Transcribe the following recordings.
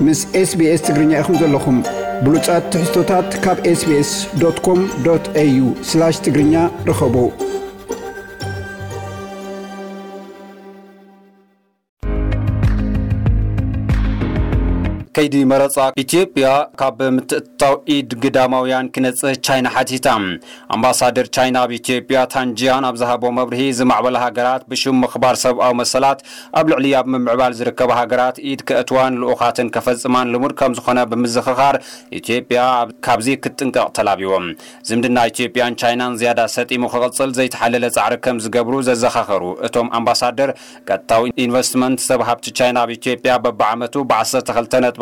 ምስ SBS ትግርኛ ኢኹም ዘለኹም። ብሉጻት ትሕዝቶታት ካብ SBS.com.au/ትግርኛ ርኸቡ። ከይዲ መረፃ ኢትዮጵያ ካብ ምትእትታው ኢድ ግዳማውያን ክነፅህ ቻይና ሓቲታ። ኣምባሳደር ቻይና ኣብ ኢትዮጵያ ታንጂያን ኣብ ዝሃቦ መብርሂ፣ ዝማዕበላ ሃገራት ብሽም ምኽባር ሰብኣዊ መሰላት ኣብ ልዕሊ ኣብ ምምዕባል ዝርከባ ሃገራት ኢድ ከእትዋን ልኡኻትን ከፈፅማን ልሙድ ከም ዝኾነ ብምዝኽኻር፣ ኢትዮጵያ ኣብ- ካብዚ ክትጥንቀቕ ተላቢዎም። ዝምድና ኢትዮጵያን ቻይናን ዝያዳ ሰጢሙ ክቕፅል ዘይተሓለለ ፃዕሪ ከም ዝገብሩ ዘዘኻኸሩ እቶም ኣምባሳደር፣ ቀጥታዊ ኢንቨስትመንት ሰብ ሃብቲ ቻይና ኣብ ኢትዮጵያ በብዓመቱ ብ12.2%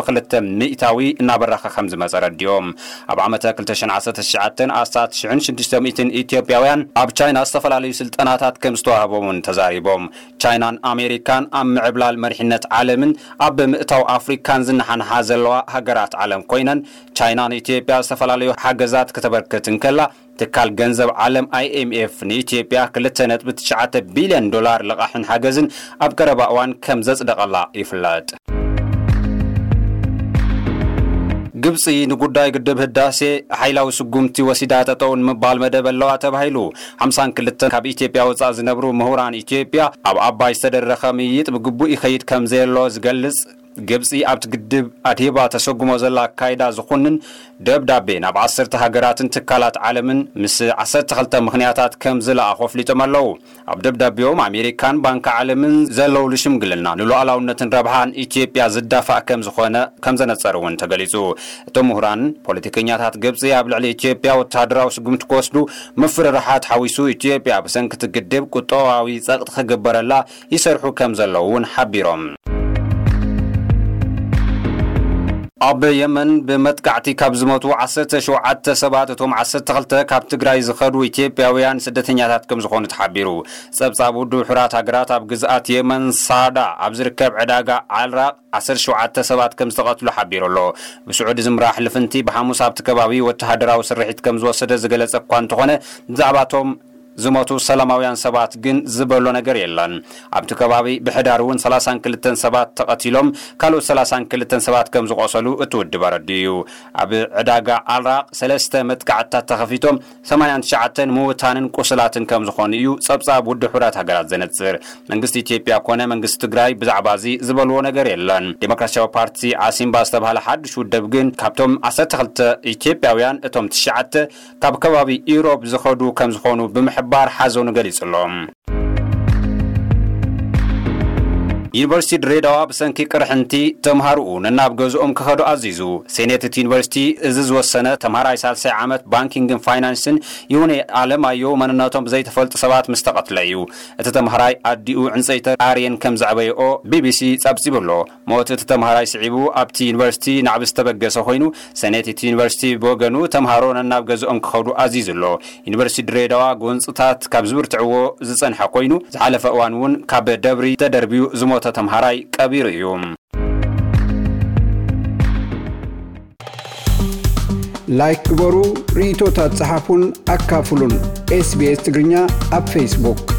እናበረኸ ከም ዝመፀ ረዲኦም። ኣብ ዓመተ ክልተ ሽሕን ዓሰርተ ትሽዓተ ኣስታት ሽሕን ሽዱሽተ ሚእትን ኢትዮጵያውያን ኣብ ቻይና ዝተፈላለዩ ስልጠናታት ከም ዝተዋህቦም እውን ተዛሪቦም። ቻይናን ኣሜሪካን ኣብ ምዕብላል መሪሕነት ዓለምን ኣብ ምእታው ኣፍሪካን ዝነሓንሓ ዘለዋ ሃገራት ዓለም ኮይነን፣ ቻይና ንኢትዮጵያ ዝተፈላለዩ ሓገዛት ክተበርክት እንከላ፣ ትካል ገንዘብ ዓለም IMF ንኢትዮጵያ ክልተ ነጥቢ ትሽዓተ ቢልዮን ዶላር ልቓሕን ሓገዝን ኣብ ቀረባ እዋን ከም ዘጽደቐላ ይፍለጥ። ግብጺ ንጉዳይ ግድብ ህዳሴ ሓይላዊ ስጉምቲ ወሲዳ ጠጠው ንምባል መደብ ኣለዋ ተባሂሉ። ሓምሳን ክልተን ካብ ኢትዮጵያ ወጻእ ዝነብሩ ምሁራን ኢትዮጵያ፣ ኣብ ኣባይ ዝተደረኸ ምይይጥ ብግቡእ ይኸይድ ከም ዘየሎ ዝገልጽ፣ ግብጺ ኣብቲ ግድብ ኣድሂባ ተሰጉሞ ዘላ ኣካይዳ ዝኹንን ደብዳቤ ናብ ዓሰርተ ሃገራትን ትካላት ዓለምን ምስ ዓሰርተ ክልተ ምኽንያታት ከም ዝለኣኹ ኣፍሊጦም ኣለዉ። ኣብ ደብዳቤኦም፣ ኣሜሪካን ባንኪ ዓለምን ዘለውሉ ሽምግልና ንሉዓላውነትን ረብሓን ኢትዮጵያ ዝዳፋእ ከም ዝኾነ ከም ዘነጸሩ እውን ተገሊጹ። እቶም ምሁራን፣ ፖለቲከኛታት ግብጺ ኣብ ልዕሊ ኢትዮጵያ ወተሃደራዊ ስጉምቲ ክወስዱ ምፍርራሓት ሓዊሱ፣ ኢትዮጵያ ብሰንኪ እቲ ግድብ ቁጠባዊ ጸቕጢ ክግበረላ ይሰርሑ ከም ዘለዉ እውን ሓቢሮም። ኣብ የመን ብመጥቃዕቲ ካብ ዝሞቱ ዓሰርተ ሸውዓተ ሰባት፣ እቶም ዓሰርተ ክልተ ካብ ትግራይ ዝኸዱ ኢትዮጵያውያን ስደተኛታት ከም ዝኾኑ ተሓቢሩ። ጸብጻብ ውድብ ሕቡራት ሃገራት፣ ኣብ ግዝኣት የመን ሳዳ ኣብ ዝርከብ ዕዳጋ ዓልራቕ ዓሰርተ ሸውዓተ ሰባት ከም ዝተቐትሉ ሓቢሩ ኣሎ። ብስዑዲ ዝምራሕ ልፍንቲ ብሓሙስ ኣብቲ ከባቢ ወተሃደራዊ ስርሒት ከም ዝወሰደ ዝገለጸ እኳ እንተኾነ፣ ብዛዕባ እቶም ዝሞቱ ሰላማውያን ሰባት ግን ዝበሎ ነገር የለን። ኣብቲ ከባቢ ብሕዳር እውን ሰላሳን ክልተን ሰባት ተቐቲሎም፣ ካልኦት ሰላሳን ክልተን ሰባት ከም ዝቖሰሉ እቲ ውድብ ኣረዲኡ እዩ። ኣብ ዕዳጋ ኣልራቕ ሰለስተ መጥቃዕትታት ተኸፊቶም፣ ሰማንያን ትሽዓተን ምውታንን ቁስላትን ከም ዝኾኑ እዩ ጸብጻብ ውድብ ሕቡራት ሃገራት ዘነጽር። መንግስቲ ኢትዮጵያ ኮነ መንግስቲ ትግራይ ብዛዕባ እዚ ዝበልዎ ነገር የለን። ዴሞክራሲያዊ ፓርቲ ዓሲምባ ዝተባህለ ሓድሽ ውድብ ግን፣ ካብቶም ዓሰርተ ክልተ ኢትዮጵያውያን፣ እቶም ትሽዓተ ካብ ከባቢ ኢሮብ ዝኸዱ ከም ዝኾኑ ብምሕባር ሓዘኑ ገሊጹ ኣሎ። ዩኒቨርሲቲ ድሬዳዋ ብሰንኪ ቅርሕንቲ ተምሃርኡ ነናብ ገዝኦም ክኸዱ ኣዚዙ። ሴኔት እቲ ዩኒቨርሲቲ እዚ ዝወሰነ፣ ተምሃራይ ሳልሳይ ዓመት ባንኪንግን ፋይናንስን ይሁኔ ኣለማየሁ መንነቶም ብዘይተፈልጡ ሰባት ምስ ተቐትለ እዩ። እቲ ተምሃራይ ኣዲኡ ዕንፀይቲ ኣርየን ከም ዘዕበየኦ ቢቢሲ ጸብጺቡ ኣሎ። ሞት እቲ ተምሃራይ ስዒቡ ኣብቲ ዩኒቨርሲቲ ናዕቢ ዝተበገሰ ኮይኑ፣ ሴኔት እቲ ዩኒቨርሲቲ ብወገኑ፣ ተምሃሮ ነናብ ገዝኦም ክኸዱ ኣዚዙ ኣሎ። ዩኒቨርሲቲ ድሬዳዋ ጎንፅታት ካብ ዝብርትዕዎ ዝፀንሐ ኮይኑ፣ ዝሓለፈ እዋን እውን ካብ ደብሪ ተደርብዩ ዝሞተ ተምሃራይ ቀቢሩ እዩ። ላይክ ግበሩ፣ ርእይቶታት ጸሓፉን ኣካፍሉን። SBS ትግርኛ ኣብ ፌስቡክ።